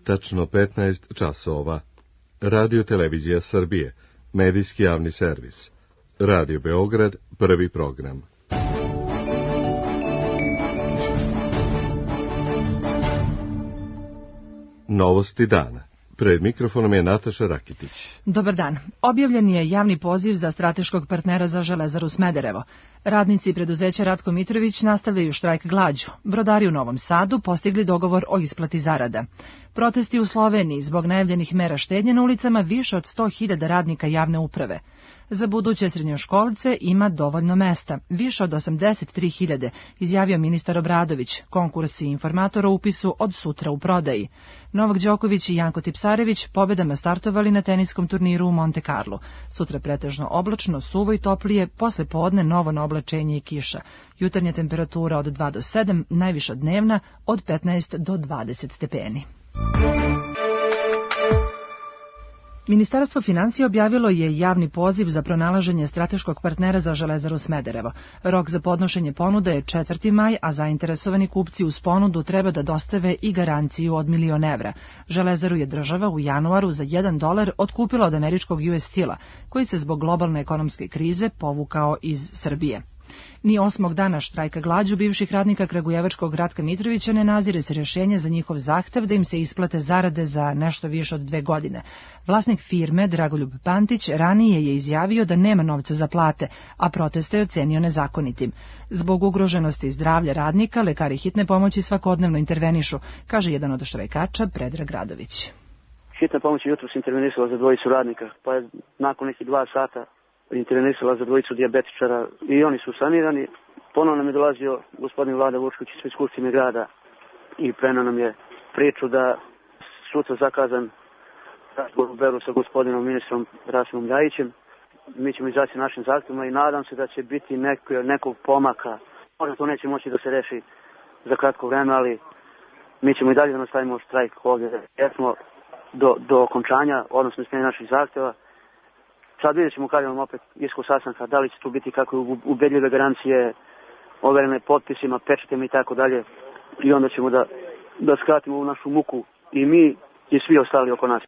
tačno 15 časova. Radio Televizija Srbije, medijski javni servis. Radio Beograd, prvi program. Novosti dana. Pred mikrofonom je Nataša Rakitić. Dobar dan. Objavljen je javni poziv za strateškog partnera za Železaru Smederevo. Radnici preduzeća Ratko Mitrović nastavljaju štrajk glađu. Brodari u Novom Sadu postigli dogovor o isplati zarada. Protesti u Sloveniji zbog najavljenih mera štednje na ulicama više od 100.000 radnika javne uprave. Za buduće srednjoškolce ima dovoljno mesta, više od 83.000, izjavio ministar Obradović. Konkursi informatora o upisu od sutra u prodaji. Novak Đoković i Janko Tipsarević pobedama startovali na teniskom turniru u Monte Carlo. Sutra pretežno oblačno, suvo i toplije, posle podne novo na oblačenje i kiša. Jutarnja temperatura od 2 do 7, najviša dnevna od 15 do 20 stepeni. Ministarstvo finansija objavilo je javni poziv za pronalaženje strateškog partnera za Železaru Smederevo. Rok za podnošenje ponude je 4. maj, a zainteresovani kupci uz ponudu treba da dostave i garanciju od $1.000.000. Železaru je država u januaru za $1 otkupila od američkog US Steel-a, koji se zbog globalne ekonomske krize povukao iz Srbije. Ni 8. dana štrajka glađu bivših radnika kragujevačkog Ratka Mitrovića ne nazire se rješenje za njihov zahtev da im se isplate zarade za nešto više od 2 godine. Vlasnik firme, Dragoljub Pantić, ranije je izjavio da nema novca za plate, a proteste je ocenio nezakonitim. Zbog ugroženosti zdravlja radnika, lekari hitne pomoći svakodnevno intervenišu, kaže jedan od štrajkača, Predrag Radović. Hitna pomoć jutros intervenisala za 2 radnika, pa je nakon nekih 2 sata intervenisala za 2 dijabetičara i oni su sanirani. Ponovno nam je dolazio gospodin Vlada Vučković iz Skupštine grada i preneo nam je priču da sutra zakazan razgovor u Beru sa gospodinom ministrom Rasimom Ljajićem. Mi ćemo izaći našim zahtjevima i nadam se da će biti nekog pomaka. Možda to neće moći da se reši za kratko vreme, ali mi ćemo i dalje da nastavimo štrajk ovdje. Jer smo do okončanja, odnosno ispunjenja naših zahtjeva. Sad vidjet ćemo kada vam opet ishod sastanka, da li će tu biti kako ubedljive garancije, overene potpisima, pečatima i tako dalje. I onda ćemo da skratimo ovu našu muku i mi i svi ostali oko nas.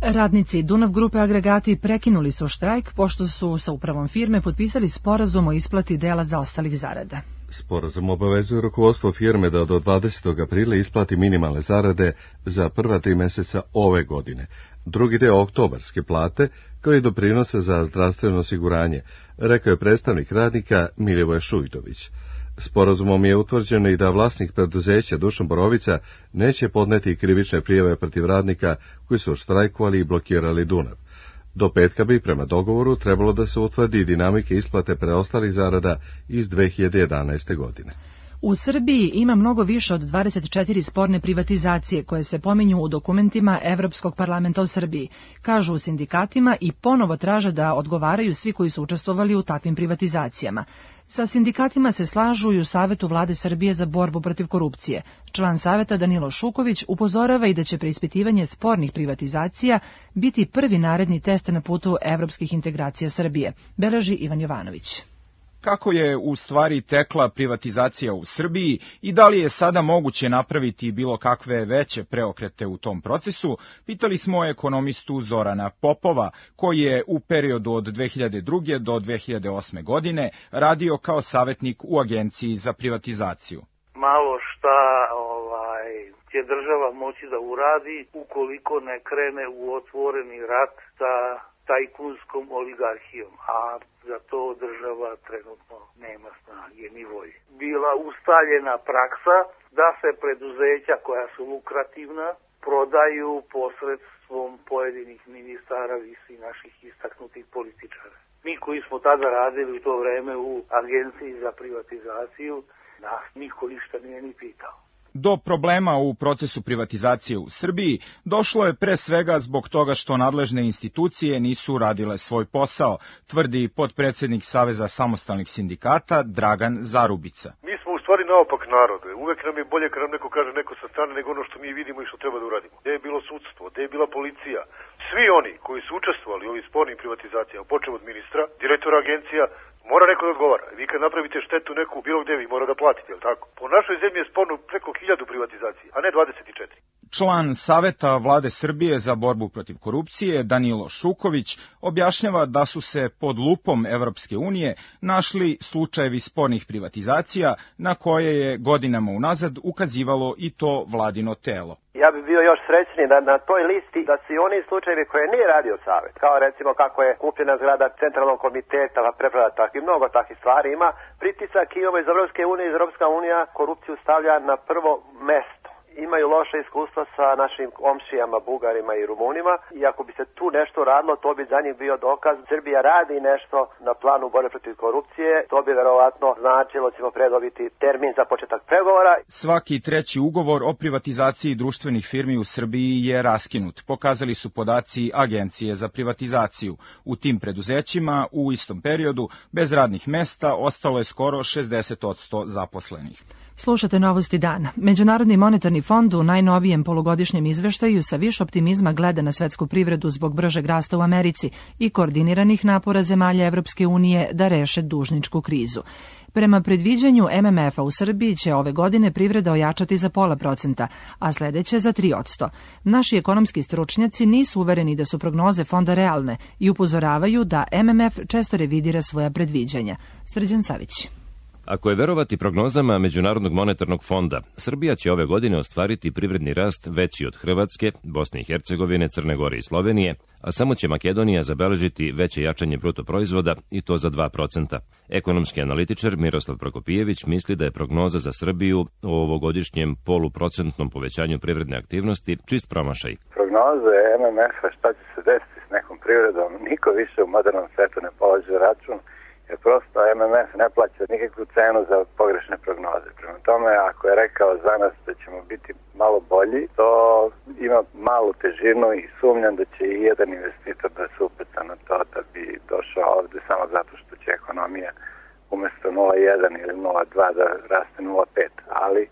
Radnici Dunav grupe Agregati prekinuli su štrajk pošto su sa upravom firme potpisali sporazum o isplati dela zaostalih zarada. Sporazum obavezuje rukovodstvo firme da do 20. aprila isplati minimalne zarade za prva 3 mjeseca ove godine, drugi deo oktobarske plate, kao i doprinose za zdravstveno osiguranje, rekao je predstavnik radnika Milivoje Šujtović. Sporazumom je utvrđeno i da vlasnik preduzeća Dušan Borovica neće podneti krivične prijave protiv radnika koji su štrajkovali i blokirali Dunav. Do petka bi prema dogovoru trebalo da se utvrdi dinamike isplate preostalih zarada iz 2011. godine. U Srbiji ima mnogo više od 24 sporne privatizacije koje se pominju u dokumentima Evropskog parlamenta u Srbiji, kažu u sindikatima i ponovo traže da odgovaraju svi koji su učestvovali u takvim privatizacijama. Sa sindikatima se slažu i u Savetu Vlade Srbije za borbu protiv korupcije. Član Saveta Danilo Šuković upozorava i da će preispitivanje spornih privatizacija biti prvi naredni test na putu evropskih integracija Srbije, beleži Ivan Jovanović. Kako je u stvari tekla privatizacija u Srbiji i da li je sada moguće napraviti bilo kakve veće preokrete u tom procesu, pitali smo ekonomistu Zorana Popova, koji je u periodu od 2002. do 2008. godine radio kao savjetnik u Agenciji za privatizaciju. Malo šta će država moći da uradi ukoliko ne krene u otvoreni rat sa tajkunskom oligarhijom, a za to država trenutno nema snage ni volje. Bila ustaljena praksa da se preduzeća koja su lukrativna prodaju posredstvom pojedinih ministara i naših istaknutih političara. Mi koji smo tada radili u to vreme u Agenciji za privatizaciju, nas niko ništa nije ni pitao. Do problema u procesu privatizacije u Srbiji došlo je pre svega zbog toga što nadležne institucije nisu radile svoj posao, tvrdi potpredsjednik Saveza samostalnih sindikata Dragan Zarubica. Mi smo u stvari naopak narod. Uvek nam je bolje kad nam neko kaže neko sa strane nego ono što mi vidimo i što treba da uradimo. Gde je bilo sudstvo, gde je bila policija. Svi oni koji su učestvovali u ovim spornim privatizacijama, počev od ministra, direktora agencija, mora neko da odgovara. Vi kad napravite štetu neku bilo gde, vi mora da platite, je li tako? Po našoj zemlji je sporno preko 1000 privatizacija, a ne 24. Član Saveta Vlade Srbije za borbu protiv korupcije Danilo Šuković objašnjava da su se pod lupom Evropske unije našli slučajevi spornih privatizacija na koje je godinama unazad ukazivalo i to vladino telo. Ja bih bio još srećniji da na toj listi da su i oni slučajevi koje nije radio Savet, kao recimo kako je kupljena zgrada centralnog komiteta, preproda takvih, mnogo takvih stvari ima. Pritisak imamo iz Evropske unije, Evropska unija korupciju stavlja na prvo mesto. Imaju loše iskustva sa našim komšijama, Bugarima i Rumunima i ako bi se tu nešto radilo, to bi za njih bio dokaz. Srbija radi nešto na planu borbe protiv korupcije, to bi verovatno značilo ćemo predobiti termin za početak pregovora. Svaki treći ugovor o privatizaciji društvenih firmi u Srbiji je raskinut, pokazali su podaci Agencije za privatizaciju. U tim preduzećima u istom periodu bez radnih mesta ostalo je skoro 60% zaposlenih. Slušate Novosti dana. Međunarodni monetarni fond u najnovijem polugodišnjem izveštaju sa više optimizma gleda na svetsku privredu zbog bržeg rasta u Americi i koordiniranih napora zemalja Evropske unije da reše dužničku krizu. Prema predviđanju MMF-a u Srbiji će ove godine privreda ojačati za 0,5%, a sledeće za 3%. Naši ekonomski stručnjaci nisu uvereni da su prognoze fonda realne i upozoravaju da MMF često revidira svoja predviđanja. Srđan Savić. Ako je verovati prognozama Međunarodnog monetarnog fonda, Srbija će ove godine ostvariti privredni rast veći od Hrvatske, Bosne i Hercegovine, Crne Gore i Slovenije, a samo će Makedonija zabeležiti veće jačanje bruto proizvoda i to za 2%. Ekonomski analitičar Miroslav Prokopijević misli da je prognoza za Srbiju o ovogodišnjem poluprocentnom povećanju privredne aktivnosti čist promašaj. Prognoze MMF-a šta će se desiti s nekom privredom, niko više u modernom svetu ne polaže račun, jer prosto MMF ne plaća nikakvu cenu za pogrešne prognoze. Prema tome, ako je rekao za nas da ćemo biti malo bolji, to ima malu težinu i sumnjam da će i jedan investitor da se upeta na to da bi došao ovde samo zato što će ekonomija umesto 0,1 ili 0,2 da raste 0,5. Ali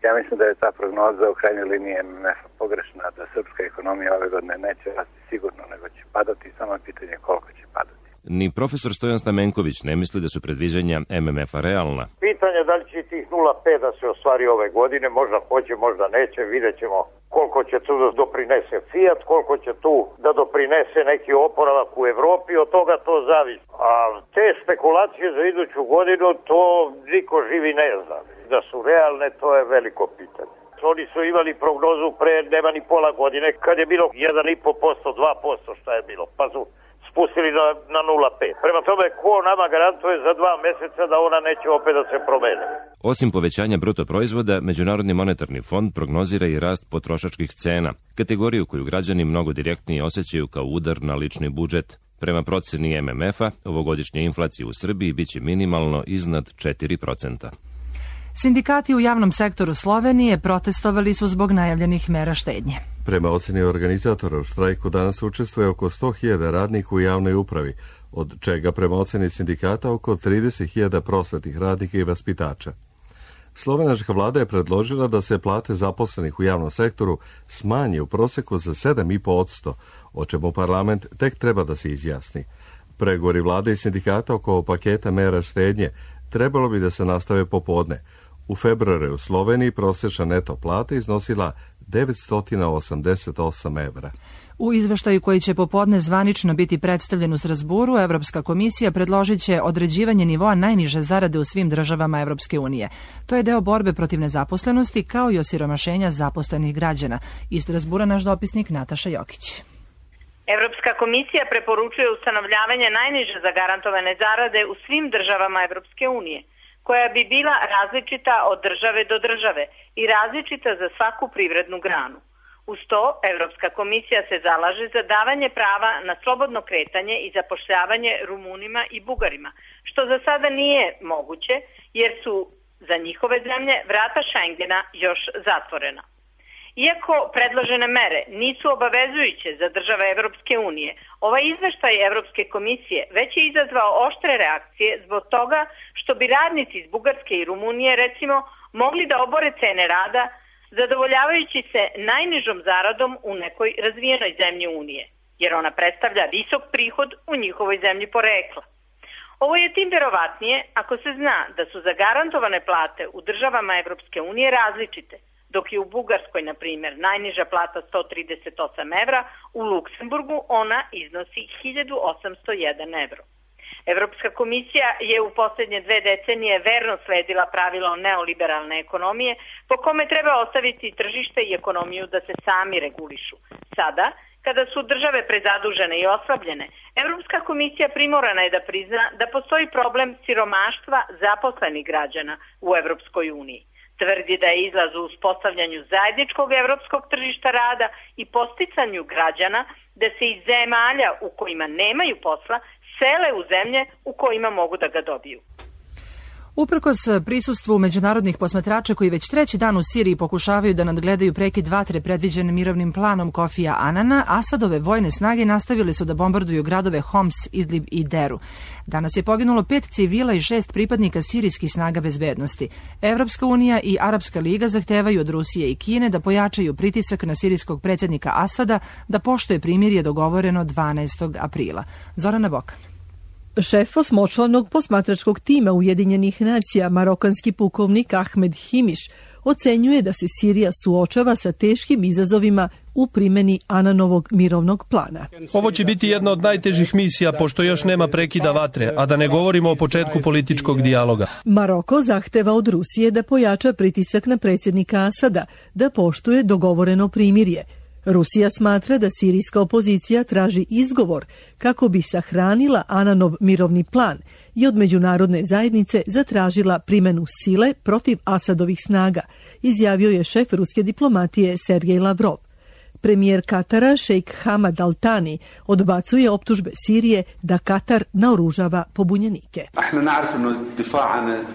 ja mislim da je ta prognoza u krajnjoj liniji MMF-a pogrešna, da srpska ekonomija ove godine neće rasti sigurno, nego će padati, samo je pitanje koliko će padati. Ni profesor Stojan Stamenković ne misli da su predviđanja MMF-a realna. Pitanje da li će tih 0,5 da se ostvari ove godine, možda hoće, možda neće, vidjet ćemo koliko će tu da doprinese Fiat, koliko će tu da doprinese neki oporavak u Evropi, od toga to zavisi. A te spekulacije za iduću godinu, to niko živi ne zna. Da su realne, to je veliko pitanje. Oni su imali prognozu pre nema ni pola godine, kad je bilo 1,5%, 2%, šta je bilo, pa su spustili na 0,5. Prema tome, ko nama garantuje za 2 meseca da ona neće opet da se promene? Osim povećanja bruto proizvoda, Međunarodni monetarni fond prognozira i rast potrošačkih cena, kategoriju koju građani mnogo direktnije osjećaju kao udar na lični budžet. Prema proceni MMF-a, ovogodišnja inflacija u Srbiji biće minimalno iznad 4%. Sindikati u javnom sektoru Slovenije protestovali su zbog najavljenih mera štednje. Prema oceni organizatora u štrajku danas učestvuje oko 100.000 radnika u javnoj upravi, od čega prema oceni sindikata oko 30.000 prosvetnih radnika i vaspitača. Slovenačka vlada je predložila da se plate zaposlenih u javnom sektoru smanje u proseku za 7,5%, o čemu parlament tek treba da se izjasni. Pregovori vlade i sindikata oko paketa mera štednje trebalo bi da se nastave popodne. U februaru u Sloveniji prosječna neto plata iznosila 988 evra. U izveštaju koji će popodne zvanično biti predstavljen u Strasburu, Evropska komisija predložit će određivanje nivoa najniže zarade u svim državama Evropske unije. To je deo borbe protiv nezaposlenosti kao i osiromašenja zaposlenih građana. Iz Strasbura naš dopisnik Nataša Jokić. Evropska komisija preporučuje ustanovljavanje najniže zagarantovane zarade u svim državama Evropske unije, koja bi bila različita od države do države i različita za svaku privrednu granu. Uz to, Evropska komisija se zalaže za davanje prava na slobodno kretanje i zapošljavanje Rumunima i Bugarima, što za sada nije moguće jer su za njihove zemlje vrata Schengena još zatvorena. Iako predložene mere nisu obavezujuće za države Evropske unije, ovaj izveštaj Evropske komisije već je izazvao oštre reakcije zbog toga što bi radnici iz Bugarske i Rumunije recimo mogli da obore cene rada zadovoljavajući se najnižom zaradom u nekoj razvijenoj zemlji Unije, jer ona predstavlja visok prihod u njihovoj zemlji porekla. Ovo je tim verovatnije ako se zna da su zagarantovane plate u državama Evropske unije različite, dok je u Bugarskoj, na primjer, najniža plata 138 evra, u Luksemburgu ona iznosi 1801 evro. Evropska komisija je u posljednje 2 decenije verno sledila pravilo neoliberalne ekonomije po kome treba ostaviti tržište i ekonomiju da se sami regulišu. Sada, kada su države prezadužene i oslabljene, Evropska komisija primorana je da prizna da postoji problem siromaštva zaposlenih građana u Evropskoj uniji. Tvrdi da je izlaz u uspostavljanju zajedničkog evropskog tržišta rada i posticanju građana da se iz zemalja u kojima nemaju posla sele u zemlje u kojima mogu da ga dobiju. Uprkos prisustvu međunarodnih posmatrača koji već 3. dan u Siriji pokušavaju da nadgledaju prekid vatre predviđen mirovnim planom Kofija Anana, Asadove vojne snage nastavili su da bombarduju gradove Homs, Idlib i Deru. Danas je poginulo 5 civila i 6 pripadnika sirijskih snaga bezbednosti. Evropska unija i Arapska liga zahtevaju od Rusije i Kine da pojačaju pritisak na sirijskog predsjednika Asada da poštuje primirje dogovoreno 12. aprila. Zorana Bokan. Šef osmočlanog posmatračkog tima Ujedinjenih nacija, marokanski pukovnik Ahmed Himiš, ocenjuje da se Sirija suočava sa teškim izazovima u primjeni Ananovog mirovnog plana. Ovo će biti jedna od najtežih misija pošto još nema prekida vatre, a da ne govorimo o početku političkog dijaloga. Maroko zahteva od Rusije da pojača pritisak na predsjednika Asada, da poštuje dogovoreno primirje. Rusija smatra da sirijska opozicija traži izgovor kako bi sahranila Ananov mirovni plan i od međunarodne zajednice zatražila primjenu sile protiv Asadovih snaga, izjavio je šef ruske diplomatije Sergej Lavrov. Premijer Katara, šejk Hamad Al Thani, odbacuje optužbe Sirije da Katar naoružava pobunjenike.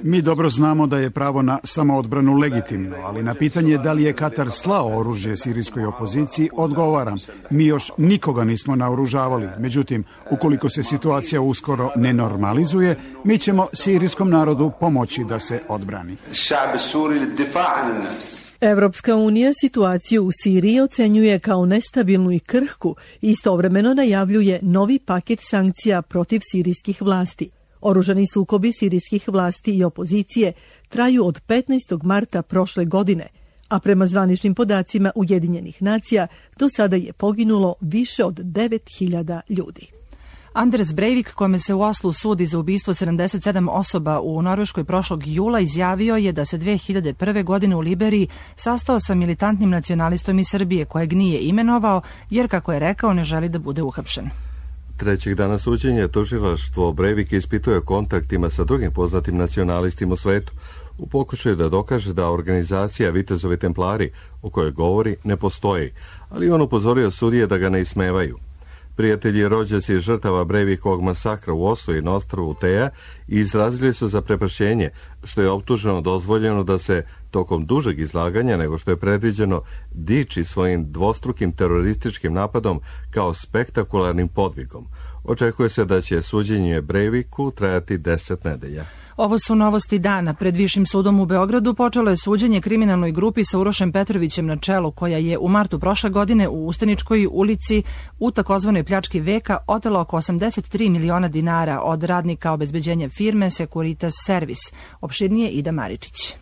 Mi dobro znamo da je pravo na samoodbranu legitimno, ali na pitanje da li je Katar slao oružje sirijskoj opoziciji, odgovaram, mi još nikoga nismo naoružavali. Međutim, ukoliko se situacija uskoro ne normalizuje, mi ćemo sirijskom narodu pomoći da se odbrani. Evropska unija situaciju u Siriji ocenjuje kao nestabilnu i krhku i istovremeno najavljuje novi paket sankcija protiv sirijskih vlasti. Oružani sukobi sirijskih vlasti i opozicije traju od 15. marta prošle godine, a prema zvaničnim podacima Ujedinjenih nacija do sada je poginulo više od 9.000 ljudi. Anders Breivik, kome se u Oslu sudi za ubistvo 77 osoba u Norveškoj prošlog jula, izjavio je da se 2001. godine u Liberiji sastao sa militantnim nacionalistom iz Srbije, kojeg nije imenovao, jer, kako je rekao, ne želi da bude uhapšen. 3. dana suđenja tužilaštvo Breivik ispituje kontaktima sa drugim poznatim nacionalistima u svetu, u pokušaju da dokaže da organizacija Vitezovi templari, o kojoj govori, ne postoji, ali on upozorio sudije da ga ne ismevaju. Prijatelji i rođaci žrtava Breivikovog masakra u Oslu i na ostrvu Teja izrazili su zaprepašćenje što je optuženo dozvoljeno da se tokom dužeg izlaganja nego što je predviđeno diči svojim dvostrukim terorističkim napadom kao spektakularnim podvigom. Očekuje se da će suđenje Breiviku trajati 10 nedelja. Ovo su novosti dana. Pred Višim sudom u Beogradu počelo je suđenje kriminalnoj grupi sa Urošem Petrovićem na čelu, koja je u martu prošle godine u Ustaničkoj ulici u takozvanoj pljački veka otela oko 83 miliona dinara od radnika obezbeđenja firme Securitas Service. Opširnije Ida Maričić.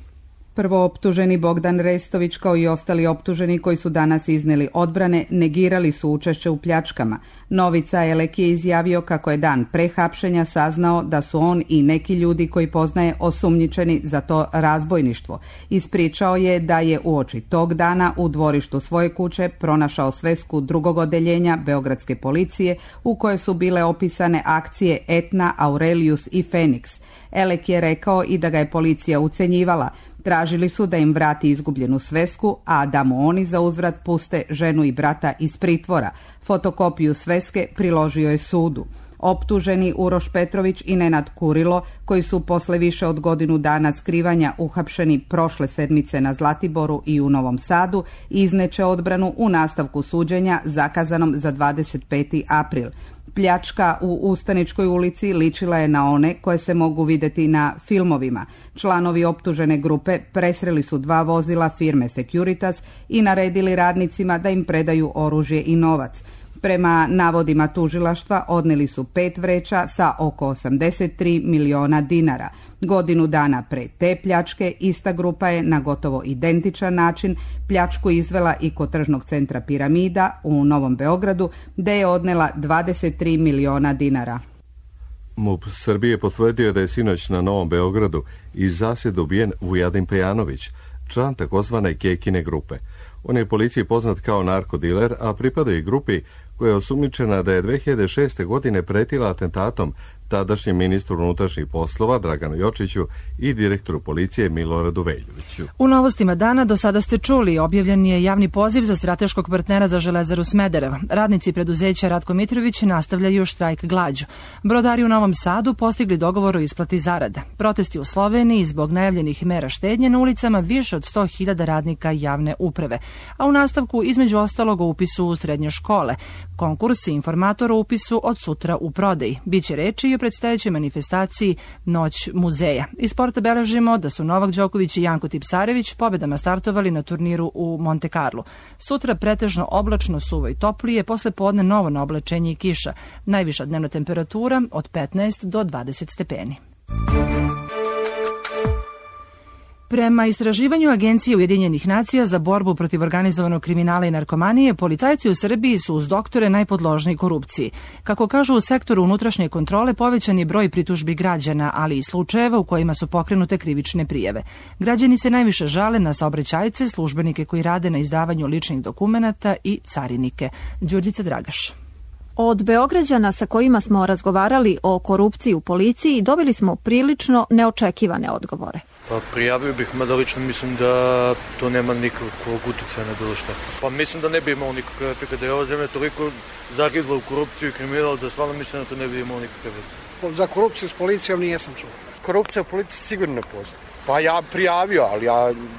Prvooptuženi Bogdan Restović kao i ostali optuženi koji su danas izneli odbrane negirali su učešće u pljačkama. Novica Elek je izjavio kako je dan pre hapšenja saznao da su on i neki ljudi koji poznaje osumnjičeni za to razbojništvo. Ispričao je da je uoči tog dana u dvorištu svoje kuće pronašao svesku drugog odeljenja Beogradske policije u kojoj su bile opisane akcije Etna, Aurelius i Feniks. Elek je rekao i da ga je policija ucenjivala. Tražili su da im vrati izgubljenu svesku, a da mu oni za uzvrat puste ženu i brata iz pritvora. Fotokopiju sveske priložio je sudu. Optuženi Uroš Petrović i Nenad Kurilo, koji su posle više od godinu dana skrivanja uhapšeni prošle sedmice na Zlatiboru i u Novom Sadu, izneće odbranu u nastavku suđenja zakazanom za 25. april. Pljačka u Ustaničkoj ulici ličila je na one koje se mogu vidjeti na filmovima. Članovi optužene grupe presreli su 2 vozila firme Securitas i naredili radnicima da im predaju oružje i novac. Prema navodima tužilaštva odneli su 5 vreća sa oko 83 miliona dinara. Godinu dana pre te pljačke ista grupa je na gotovo identičan način pljačku izvela i kod tržnog centra Piramida u Novom Beogradu, gde je odnela 23 miliona dinara. MUP Srbije potvrdio da je sinoć na Novom Beogradu iz zasjede ubijen Vujadin Pejanović, član takozvane Kekine grupe. On je policiji poznat kao narkodiler, a pripada i grupi koja je osumnjičena da je 2006. godine pretila atentatom tadašnjem ministru unutrašnjih poslova Draganu Jočiću i direktoru policije Miloradu Veljoviću. U novostima dana do sada ste čuli, objavljen je javni poziv za strateškog partnera za Železaru Smederevo. Radnici preduzeća Ratko Mitrović nastavljaju štrajk glađu. Brodari u Novom Sadu postigli dogovor o isplati zarada. Protesti u Sloveniji zbog najavljenih mera štednje na ulicama više od 100.000 radnika javne uprave. A u nastavku između ostalog o upisu u srednje škole. Konkurs i informator o upisu od sutra u prodaji. Biće reči i o predstojećoj manifestaciji Noć muzeja. Iz sporta beležimo da su Novak Đoković i Janko Tipsarević pobedama startovali na turniru u Monte Carlo. Sutra pretežno oblačno, suvo i toplije, posle podne novo na oblačenje i kiša. Najviša dnevna temperatura od 15 do 20 stepeni. Prema istraživanju Agencije Ujedinjenih nacija za borbu protiv organizovanog kriminala i narkomanije, policajci u Srbiji su uz doktore najpodložniji korupciji. Kako kažu u sektoru unutrašnje kontrole, povećan je broj pritužbi građana, ali i slučajeva u kojima su pokrenute krivične prijave. Građani se najviše žale na saobraćajce, službenike koji rade na izdavanju ličnih dokumenata i carinike. Đurđica Dragaš. Od Beograđana sa kojima smo razgovarali o korupciji u policiji dobili smo prilično neočekivane odgovore. Pa prijavio bih, mada lično mislim da to nema nikakvog uticaja na bilo šta. Pa mislim da ne bi imao nikakve efekta, da je ova zemlja toliko zagrizla u korupciju i kriminal da stvarno mislim da to ne bi imao nikakve veze. Za korupciju s policijom nijesam čuo. Korupcija u policiji sigurno ne postoji. Pa ja prijavio, ali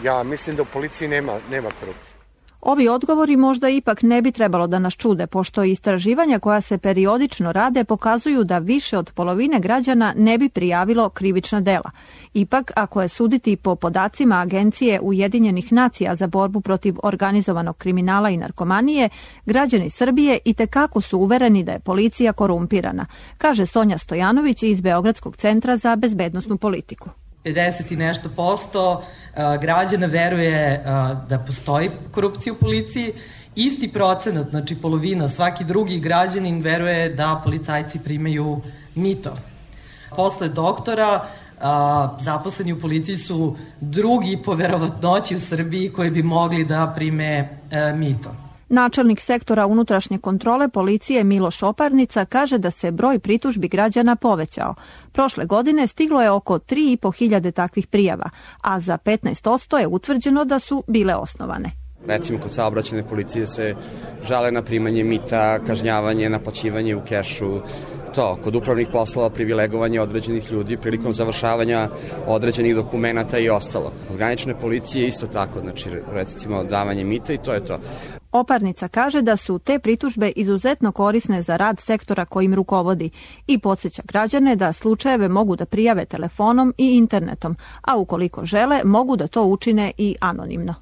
ja mislim da u policiji nema korupcije. Ovi odgovori možda ipak ne bi trebalo da nas čude, pošto istraživanja koja se periodično rade pokazuju da više od polovine građana ne bi prijavilo krivična dela. Ipak, ako je suditi po podacima Agencije Ujedinjenih nacija za borbu protiv organizovanog kriminala i narkomanije, građani Srbije itekako su uvereni da je policija korumpirana, kaže Sonja Stojanović iz Beogradskog centra za bezbednosnu politiku. 50 i nešto posto građana veruje da postoji korupcija u policiji. Isti procenat, znači polovina, svaki drugi građanin veruje da policajci primaju mito. Posle doktora, zaposleni u policiji su drugi po verovatnoći u Srbiji koji bi mogli da prime mito. Načelnik sektora unutrašnje kontrole policije Miloš Oparnica kaže da se broj pritužbi građana povećao. Prošle godine stiglo je oko 3.500 takvih prijava, a za 15% je utvrđeno da su bile osnovane. Recimo, kod saobraćajne policije se žale na primanje mita, kažnjavanje, naplaćivanje u kešu, kod upravnih poslova privilegovanje određenih ljudi prilikom završavanja određenih dokumenata i ostalo. Kod granične policije isto tako, znači recimo davanje mita i to je to. Oparnica kaže da su te pritužbe izuzetno korisne za rad sektora kojim rukovodi i podsjeća građane da slučajeve mogu da prijave telefonom i internetom, a ukoliko žele mogu da to učine i anonimno.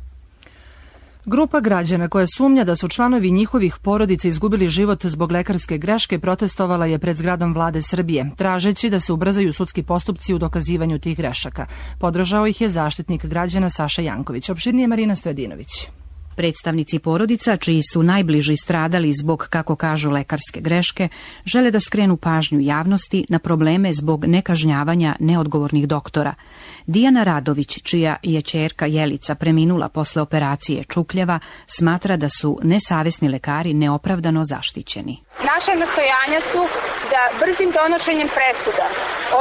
Grupa građana koja sumnja da su članovi njihovih porodica izgubili život zbog lekarske greške protestovala je pred zgradom Vlade Srbije, tražeći da se ubrzaju sudski postupci u dokazivanju tih grešaka. Podržao ih je zaštitnik građana Saša Janković. Opširnije Marina Stojadinović. Predstavnici porodica, čiji su najbliži stradali zbog, kako kažu, lekarske greške, žele da skrenu pažnju javnosti na probleme zbog nekažnjavanja neodgovornih doktora. Dijana Radović, čija je ćerka Jelica preminula posle operacije čukljeva, smatra da su nesavesni lekari neopravdano zaštićeni. Naša nastojanja su da brzim donošenjem presuda,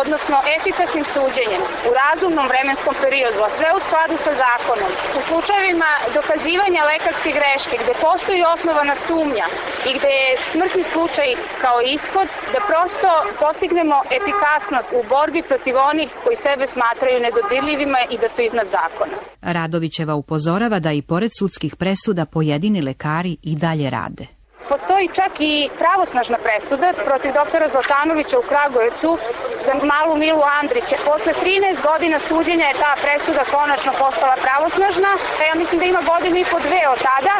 odnosno efikasnim suđenjem u razumnom vremenskom periodu, a sve u skladu sa zakonom, u slučajevima dokazivanja lekarske greške gde postoji osnovana sumnja i gde je smrtni slučaj kao ishod, da prosto postignemo efikasnost u borbi protiv onih koji sebe smatraju nedodirljivima i da su iznad zakona. Radovićeva upozorava da i pored sudskih presuda pojedini lekari i dalje rade. Postoji čak i pravosnažna presuda protiv doktora Zlatanovića u Kragujevcu za malu Milu Andrića. Posle 13 godina suđenja je ta presuda konačno postala pravosnažna. Ja mislim da ima godinu i po dve od tada.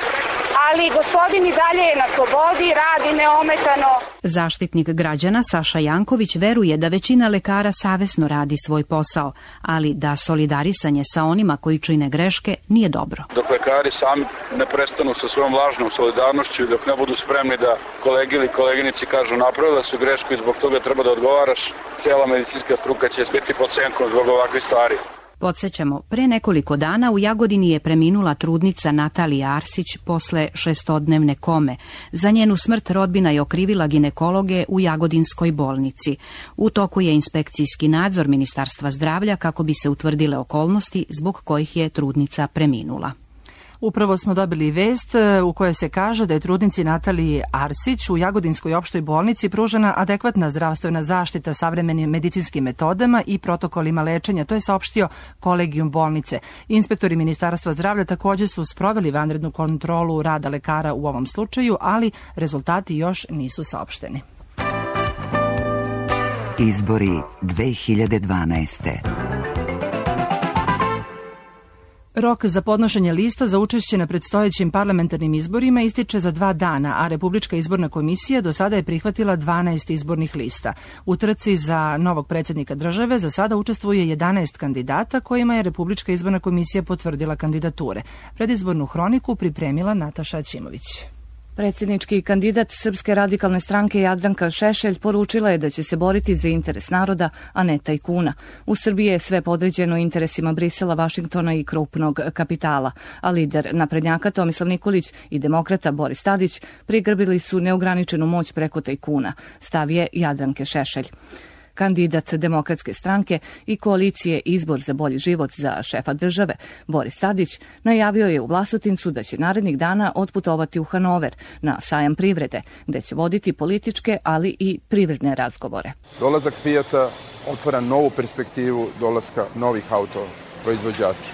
ali gospodin i dalje je na slobodi, radi neometano. Zaštitnik građana Saša Janković veruje da većina lekara savesno radi svoj posao, ali da solidarisanje sa onima koji čine greške nije dobro. Dok lekari sami ne prestanu sa svojom lažnom solidarnošću i dok ne budu spremni da kolegi ili koleginici kažu napravila su grešku i zbog toga treba da odgovaraš, cijela medicinska struka će biti pod senkom zbog ovakvih stvari. Podsjećamo, pre nekoliko dana u Jagodini je preminula trudnica Natalija Arsić posle 6-dnevne kome. Za njenu smrt rodbina je okrivila ginekologe u Jagodinskoj bolnici. U toku je inspekcijski nadzor Ministarstva zdravlja kako bi se utvrdile okolnosti zbog kojih je trudnica preminula. Upravo smo dobili vest u kojoj se kaže da je trudnici Nataliji Arsić u Jagodinskoj opštoj bolnici pružena adekvatna zdravstvena zaštita savremenim medicinskim metodama i protokolima lečenja. To je saopštio kolegijum bolnice. Inspektori Ministarstva zdravlja također su sproveli vanrednu kontrolu rada lekara u ovom slučaju, ali rezultati još nisu saopšteni. Izbori 2012. Rok za podnošenje lista za učešće na predstojećim parlamentarnim izborima ističe za 2 dana, a Republička izborna komisija do sada je prihvatila 12 izbornih lista. U trci za novog predsjednika države za sada učestvuje 11 kandidata kojima je Republička izborna komisija potvrdila kandidature. Predizbornu hroniku pripremila Nataša Ćimović. Predsjednički kandidat Srpske radikalne stranke Jadranka Šešelj poručila je da će se boriti za interes naroda, a ne tajkuna. U Srbiji je sve podređeno interesima Brisela, Vašingtona i krupnog kapitala, a lider naprednjaka Tomislav Nikolić i demokrata Boris Tadić prigrbili su neograničenu moć preko tajkuna, stav je Jadranke Šešelj. Kandidat Demokratske stranke i koalicije Izbor za bolji život za šefa države, Boris Tadić, najavio je u Vlasotincu da će narednih dana otputovati u Hanover na sajam privrede, gde će voditi političke, ali i privredne razgovore. Dolazak Fijata otvara novu perspektivu dolaska novih autoproizvođača.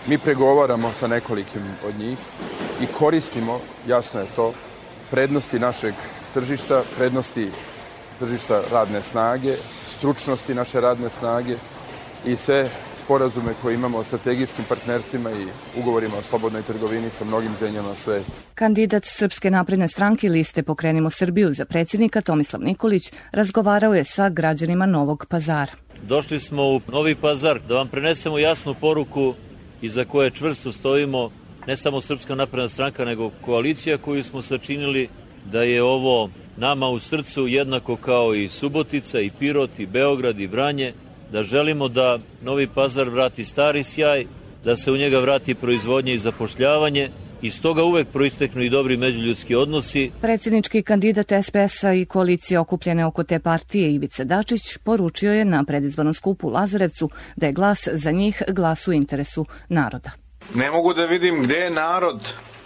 Mi pregovaramo sa nekolikim od njih i koristimo, jasno je to, prednosti našeg tržišta, prednosti tržišta radne snage, stručnosti naše radne snage i sve sporazume koje imamo o strategijskim partnerstvima i ugovorima o slobodnoj trgovini sa mnogim zemljama sveta. Kandidat Srpske napredne stranke liste Pokrenimo Srbiju za predsjednika Tomislav Nikolić razgovarao je sa građanima Novog Pazara. Došli smo u Novi Pazar da vam prenesemo jasnu poruku iza koje čvrsto stojimo, ne samo Srpska napredna stranka, nego koalicija koju smo sačinili, da je ovo nama u srcu jednako kao i Subotica, i Pirot, i Beograd, i Vranje, da želimo da Novi Pazar vrati stari sjaj, da se u njega vrati proizvodnja i zapošljavanje, i stoga uvek proisteknu i dobri međuljudski odnosi. Predsjednički kandidat SPS-a i koalicije okupljene oko te partije Ivica Dačić poručio je na predizbornom skupu u Lazarevcu da je glas za njih glas u interesu naroda. Ne mogu da vidim gde je narod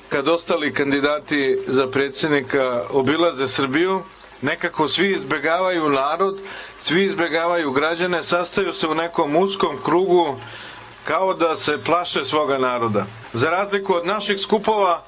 kad ostali kandidati za predsjednika obilaze Srbiju. Nekako svi izbjegavaju narod, svi izbjegavaju građane, sastaju se u nekom uskom krugu kao da se plaše svoga naroda. Za razliku od naših skupova,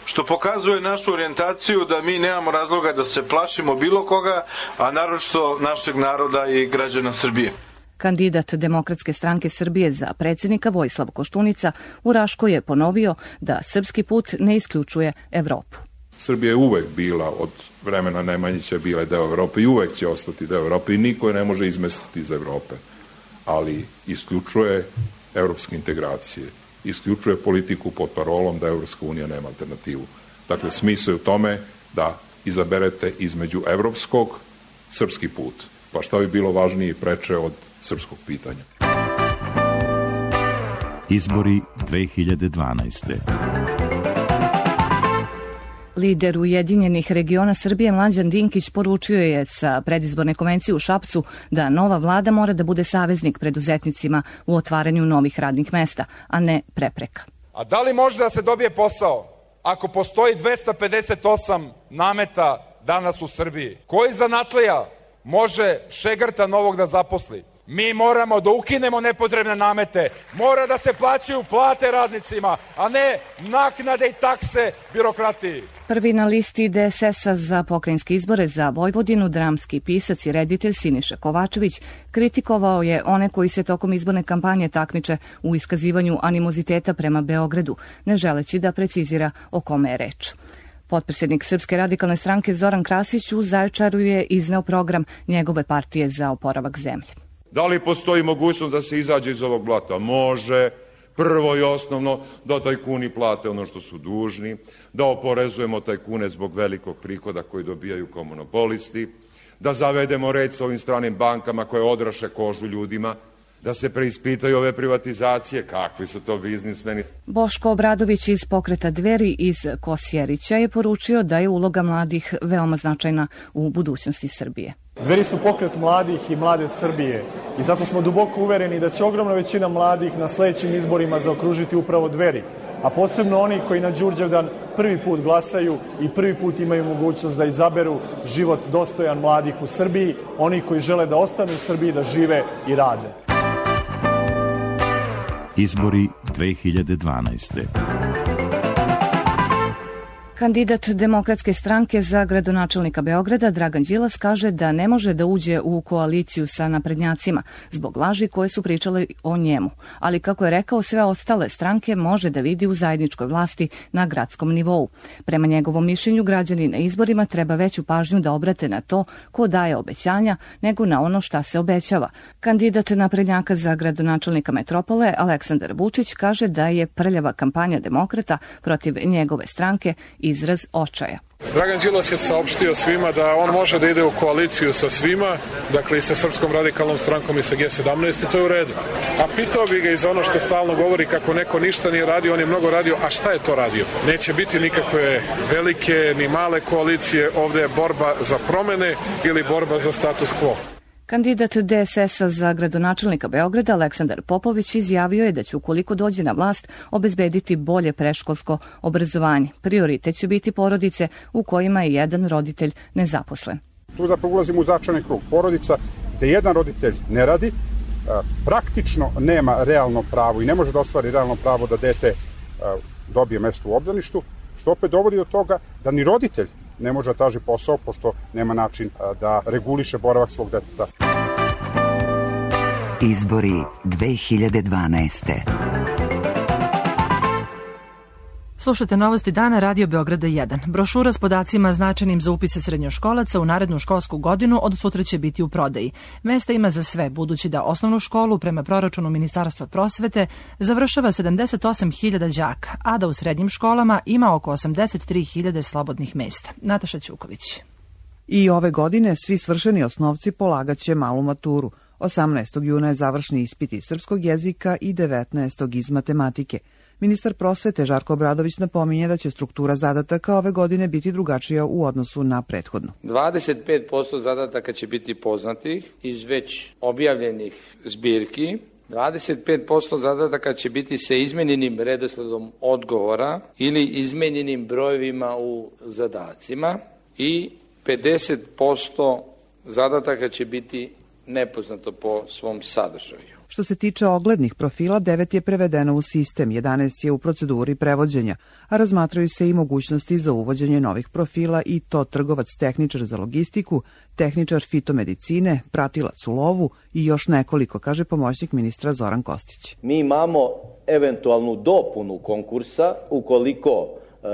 što pokazuje našu orijentaciju da mi nemamo razloga da se plašimo bilo koga, a naročito našeg naroda i građana Srbije. Kandidat Demokratske stranke Srbije za predsjednika Vojislav Koštunica u Raškoj je ponovio da srpski put ne isključuje Evropu. Srbija je uvek bila, od vremena Nemanjića bila deo Evrope i uvek će ostati deo Evrope i niko je ne može izmestiti iz Evrope. Ali isključuje evropske integracije, isključuje politiku pod parolom da Evropska unija nema alternativu. Dakle, smisao je u tome da izaberete između evropskog srpski put. Pa šta bi bilo važnije i preče od srpskog pitanja? Izbori 2012. Lider Ujedinjenih regiona Srbije Mlađan Dinkić poručio je sa predizborne konvencije u Šapcu da nova vlada mora da bude saveznik preduzetnicima u otvaranju novih radnih mesta, a ne prepreka. A da li može da se dobije posao ako postoji 258 nameta danas u Srbiji? Koji zanatlija može Šegrta novog da zaposli? Mi moramo da ukinemo nepotrebne namete, mora da se plaćaju plate radnicima, a ne naknade i takse birokratiji. Prvi na listi DSS-a za pokrajinske izbore za Vojvodinu, dramski pisac i reditelj Siniša Kovačević, kritikovao je one koji se tokom izborne kampanje takmiče u iskazivanju animoziteta prema Beogradu, ne želeći da precizira o kome je reč. Potpredsjednik Srpske radikalne stranke Zoran Krasić u Zaječaru je izneo program njegove partije za oporavak zemlje. Da li postoji mogućnost da se izađe iz ovog blata? Može. Prvo i osnovno, da tajkuni plate ono što su dužni, da oporezujemo tajkune zbog velikog prihoda koji dobijaju kao monopolisti, da zavedemo red sa ovim stranim bankama koje odraše kožu ljudima, da se preispitaju ove privatizacije, kakvi su to biznismeni. Boško Obradović iz pokreta Dveri iz Kosjerića je poručio da je uloga mladih veoma značajna u budućnosti Srbije. Dveri su pokret mladih i mlade Srbije i zato smo duboko uvereni da će ogromna većina mladih na sledećim izborima zaokružiti upravo Dveri, a posebno oni koji na Đurđevdan prvi put glasaju i prvi put imaju mogućnost da izaberu život dostojan mladih u Srbiji, oni koji žele da ostanu u Srbiji, da žive i rade. Izbori 2012. Kandidat Demokratske stranke za gradonačelnika Beograda Dragan Đilas kaže da ne može da uđe u koaliciju sa naprednjacima zbog laži koje su pričale o njemu, ali kako je rekao, sve ostale stranke može da vidi u zajedničkoj vlasti na gradskom nivou. Prema njegovom mišljenju, građani na izborima treba veću pažnju da obrate na to ko daje obećanja nego na ono šta se obećava. Kandidat naprednjaka za gradonačelnika metropole Aleksandar Vučić kaže da je prljava kampanja demokrata protiv njegove stranke izraz očaja. Dragan Đilas je saopštio svima da on može da ide u koaliciju sa svima, dakle i sa Srpskom radikalnom strankom i sa G17 i to je u redu. A pitao bi ga i za ono što stalno govori kako neko ništa nije radio, on je mnogo radio, a šta je to radio? Neće biti nikakve velike ni male koalicije, ovde je borba za promene ili borba za status quo. Kandidat DSS-a za gradonačelnika Beograda Aleksandar Popović izjavio je da će, ukoliko dođe na vlast, obezbediti bolje predškolsko obrazovanje. Prioritet će biti porodice u kojima je jedan roditelj nezaposlen. Tu zapravo ulazimo u začarani krug. Porodica gde jedan roditelj ne radi, praktično nema realno pravo i ne može da ostvari realno pravo da dete dobije mesto u obdaništu, što opet dovodi do toga da ni roditelj ne može da traži posao, pošto nema način da reguliše boravak svog deteta. Izbori 2012. Slušate novosti dana Radio Beograda 1. Brošura s podacima značajnim za upise srednjoškolaca u narednu školsku godinu od sutra će biti u prodaji. Mesta ima za sve, budući da osnovnu školu prema proračunu Ministarstva prosvete završava 78.000 đaka, a da u srednjim školama ima oko 83.000 slobodnih mesta. Nataša Ćuković. I ove godine svi svršeni osnovci polagaće malu maturu. 18. juna je završni ispit iz srpskog jezika i 19. iz matematike. Ministar prosvete Žarko Obradović napominje da će struktura zadataka ove godine biti drugačija u odnosu na prethodnu. 25% zadataka će biti poznatih iz već objavljenih zbirki, 25% zadataka će biti sa izmenjenim redosledom odgovora ili izmenjenim brojevima u zadacima i 50% zadataka će biti nepoznato po svom sadržaju. Što se tiče oglednih profila, 9 je prevedeno u sistem, 11 je u proceduri prevođenja, a razmatraju se i mogućnosti za uvođenje novih profila i to trgovac tehničar za logistiku, tehničar fitomedicine, pratilac u lovu i još nekoliko, kaže pomoćnik ministra Zoran Kostić. Mi imamo eventualnu dopunu konkursa ukoliko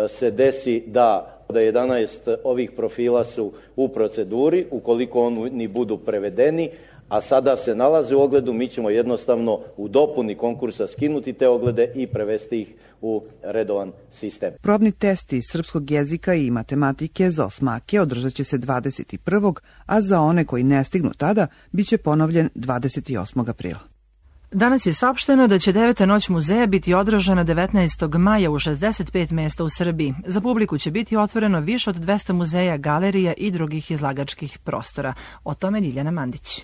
se desi da 11 ovih profila su u proceduri, ukoliko oni budu prevedeni, a sada se nalaze u ogledu, mi ćemo jednostavno u dopuni konkursa skinuti te oglede i prevesti ih u redovan sistem. Probni test iz srpskog jezika i matematike za osmake održat će se 21. a za one koji ne stignu tada biće ponovljen 28. aprila. Danas je saopšteno da će 9. noć muzeja biti održana 19. maja u 65 mesta u Srbiji. Za publiku će biti otvoreno više od 200 muzeja, galerija i drugih izlagačkih prostora. O tome Ljiljana Mandić.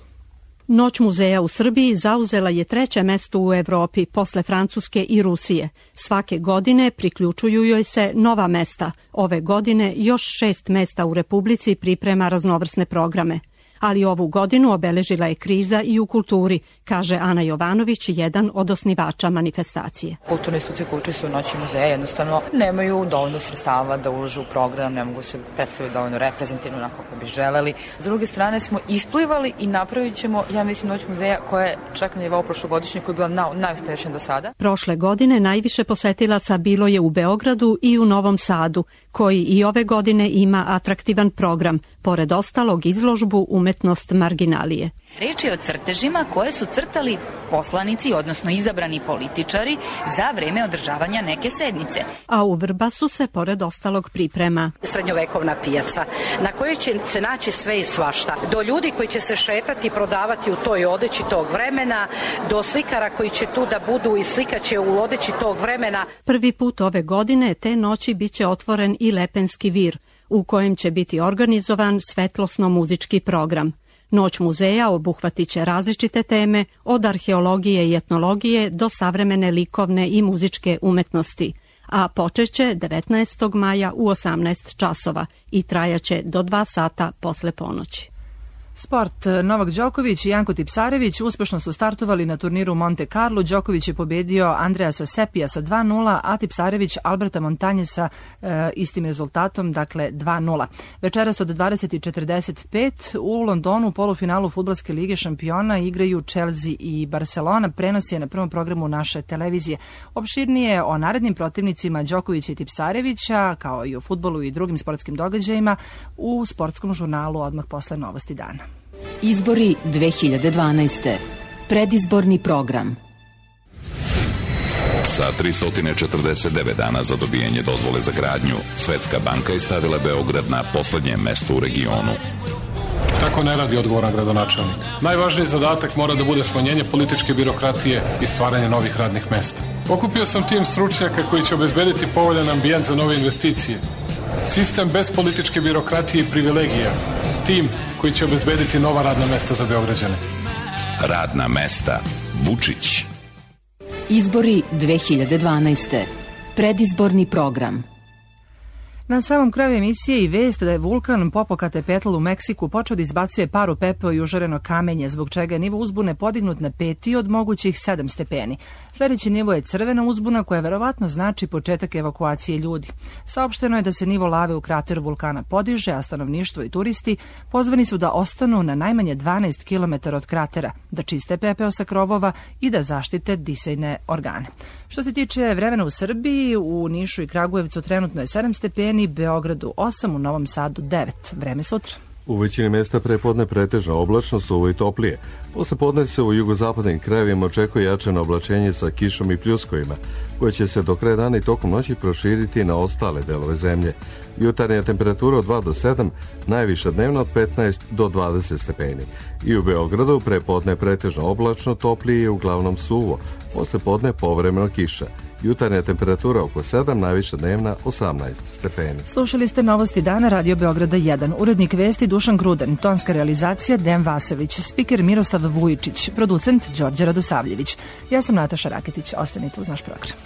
Noć muzeja u Srbiji zauzela je 3. mesto u Evropi posle Francuske i Rusije. Svake godine priključuju joj se nova mesta. Ove godine još 6 mesta u Republici priprema raznovrsne programe. Ali ovu godinu obeležila je kriza i u kulturi, kaže Ana Jovanović, jedan od osnivača manifestacije. Kulturne institucije koje učestvuju u Noći muzeja jednostavno nemaju dovoljno sredstava da ulažu u program, ne mogu se predstaviti dovoljno reprezentativno onako kako bi želeli. S druge strane smo isplivali i napravit ćemo, ja mislim, Noć muzeja koja je čak na nivou prošlogodišnje, koji je bila najuspešnija do sada. Prošle godine najviše posetilaca bilo je u Beogradu i u Novom Sadu, koji i ove godine ima atraktivan program, pored ostalog izložbu Umetnost marginalije. Reč je o crtežima koje su crtali poslanici, odnosno izabrani političari, za vreme održavanja neke sednice. A u Vrbasu se pored ostalog priprema srednjovekovna pijaca, na kojoj će se naći sve i svašta. Do ljudi koji će se šetati i prodavati u toj odeći tog vremena, do slikara koji će tu da budu i slikaće u odeći tog vremena. Prvi put ove godine te noći biće otvoren i Lepenski vir, u kojem će biti organizovan svetlosno-muzički program. Noć muzeja obuhvatit će različite teme, od arheologije i etnologije do savremene likovne i muzičke umetnosti, a počeće 19. maja u 18 časova i trajaće do 2 sata posle ponoći. Sport. Novak Đoković i Janko Tipsarević uspešno su startovali na turniru Monte Carlo. Đoković je pobedio Andreasa Sepija sa 2-0, a Tipsarević Alberta Montanje sa istim rezultatom, dakle 2-0. Večeras od 20:45 u Londonu u polufinalu Fudbalske lige šampiona igraju Chelsea i Barcelona. Prenos je na prvom programu naše televizije. Opširnije o narednim protivnicima Đokovića i Tipsarevića, kao i o fudbalu i drugim sportskim događajima, u sportskom žurnalu odmah posle Novosti dana. Izbori 2012. Predizborni program. Sa 349 dana za dobijanje dozvole za gradnju, Svetska banka je stavila Beograd na poslednje mesto u regionu. Tako ne radi odgovoran gradonačelnik. Najvažniji zadatak mora da bude smanjenje političke birokratije i stvaranje novih radnih mesta. Okupio sam tim stručnjaka koji će obezbediti povoljan ambijent za nove investicije. Sistem bez političke birokratije i privilegija. Tim koji će obezbediti nova radna mesta za Beograđane. Radna mesta. Vučić. Izbori 2012. Predizborni program. Na samom kraju emisije i vest da je vulkan Popocatépetl u Meksiku počeo da izbacuje paru, pepeo i užareno kamenje, zbog čega je nivo uzbune podignut na 5 od mogućih 7 stepeni. Sljedeći nivo je crvena uzbuna, koja verovatno znači početak evakuacije ljudi. Saopšteno je da se nivo lave u krateru vulkana podiže, a stanovništvo i turisti pozvani su da ostanu na najmanje 12 km od kratera, da čiste pepeo sa krovova i da zaštite disajne organe. Što se tiče vremena u Srbiji, u Nišu i Kragujevcu trenutno je 7 stepeni, Beogradu 8, u Novom Sadu 9. Vreme sutra. U većini mesta prepodne pretežna oblačno, suvo i toplije. Posle podne se u jugozapadnim krajevima očekuje jačano oblačenje sa kišom i pljuskovima, koje će se do kraja dana i tokom noći proširiti na ostale delove zemlje. Jutarnja temperatura od 2 do 7, najviša dnevna od 15 do 20 stepeni. I u Beogradu prepodne pretežno oblačno, toplije i uglavnom suvo. Posle podne povremeno kiša. Jutarnja temperatura oko 7, najviša dnevna 18 stepeni. Slušali ste Novosti dana Radio Beograda 1. Urednik vesti Dušan Gruden, tonska realizacija Dejan Vasović, spiker Miroslav Vujičić, producent Đorđe Radosavljević. Ja sam Nataša Raketić, ostanite uz naš program.